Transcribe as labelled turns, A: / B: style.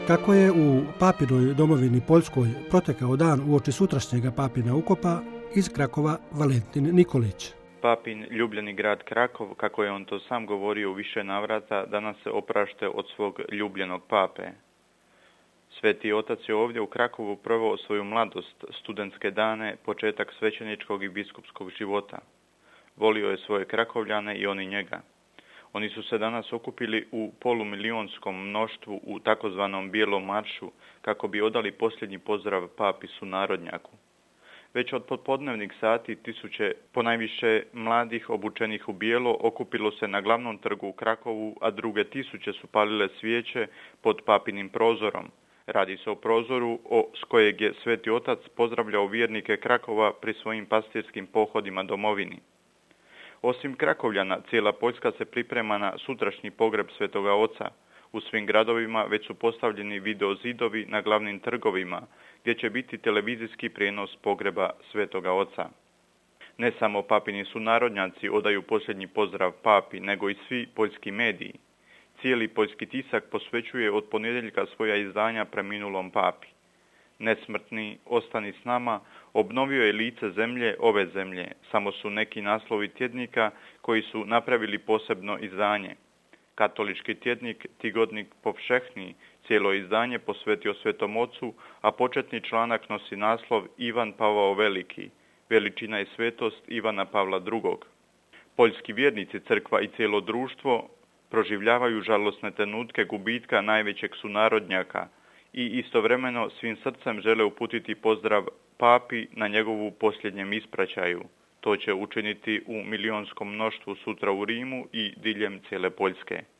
A: Kako je u papinoj domovini Poljskoj protekao dan uoči sutrašnjega papina ukopa, iz Krakova Valentin Nikolić.
B: Papin ljubljeni grad Krakov, kako je on to sam govorio u više navrata, danas se oprašte od svog ljubljenog pape. Sveti otac je ovdje u Krakovu proveo svoju mladost, studentske dane, početak svećeničkog i biskupskog života. Volio je svoje Krakovljane i oni njega. Oni su se danas okupili u polumilijonskom mnoštvu u takozvanom bijelom maršu kako bi odali posljednji pozdrav papi sunarodnjaku. Već od popodnevnih sati tisuće ponajviše mladih obučenih u bijelo okupilo se na glavnom trgu u Krakovu, a druge tisuće su palile svijeće pod papinim prozorom. Radi se o prozoru s kojeg je Sveti Otac pozdravljao vjernike Krakova pri svojim pastirskim pohodima domovini. Osim Krakovljana, cijela Poljska se priprema na sutrašnji pogreb Svetoga Oca. U svim gradovima već su postavljeni video zidovi na glavnim trgovima, gdje će biti televizijski prijenos pogreba Svetoga Oca. Ne samo papini sunarodnjaci odaju posljednji pozdrav papi, nego i svi poljski mediji. Cijeli poljski tisak posvećuje od ponedjeljka svoja izdanja preminulom papi. Nesmrtni, ostani s nama, obnovio je lice zemlje, ove zemlje. Samo su neki naslovi tjednika koji su napravili posebno izdanje. Katolički tjednik Tigodnik Povšehni cijelo izdanje posvetio Svetom Ocu, a početni članak nosi naslov Ivan Pavao Veliki, veličina i svetost Ivana Pavla II. Poljski vjernici, crkva i cijelo društvo proživljavaju žalosne trenutke gubitka najvećeg sunarodnjaka i istovremeno svim srcem žele uputiti pozdrav papi na njegovu posljednjem ispraćaju. To će učiniti u milionskom mnoštvu sutra u Rimu i diljem cijele Poljske.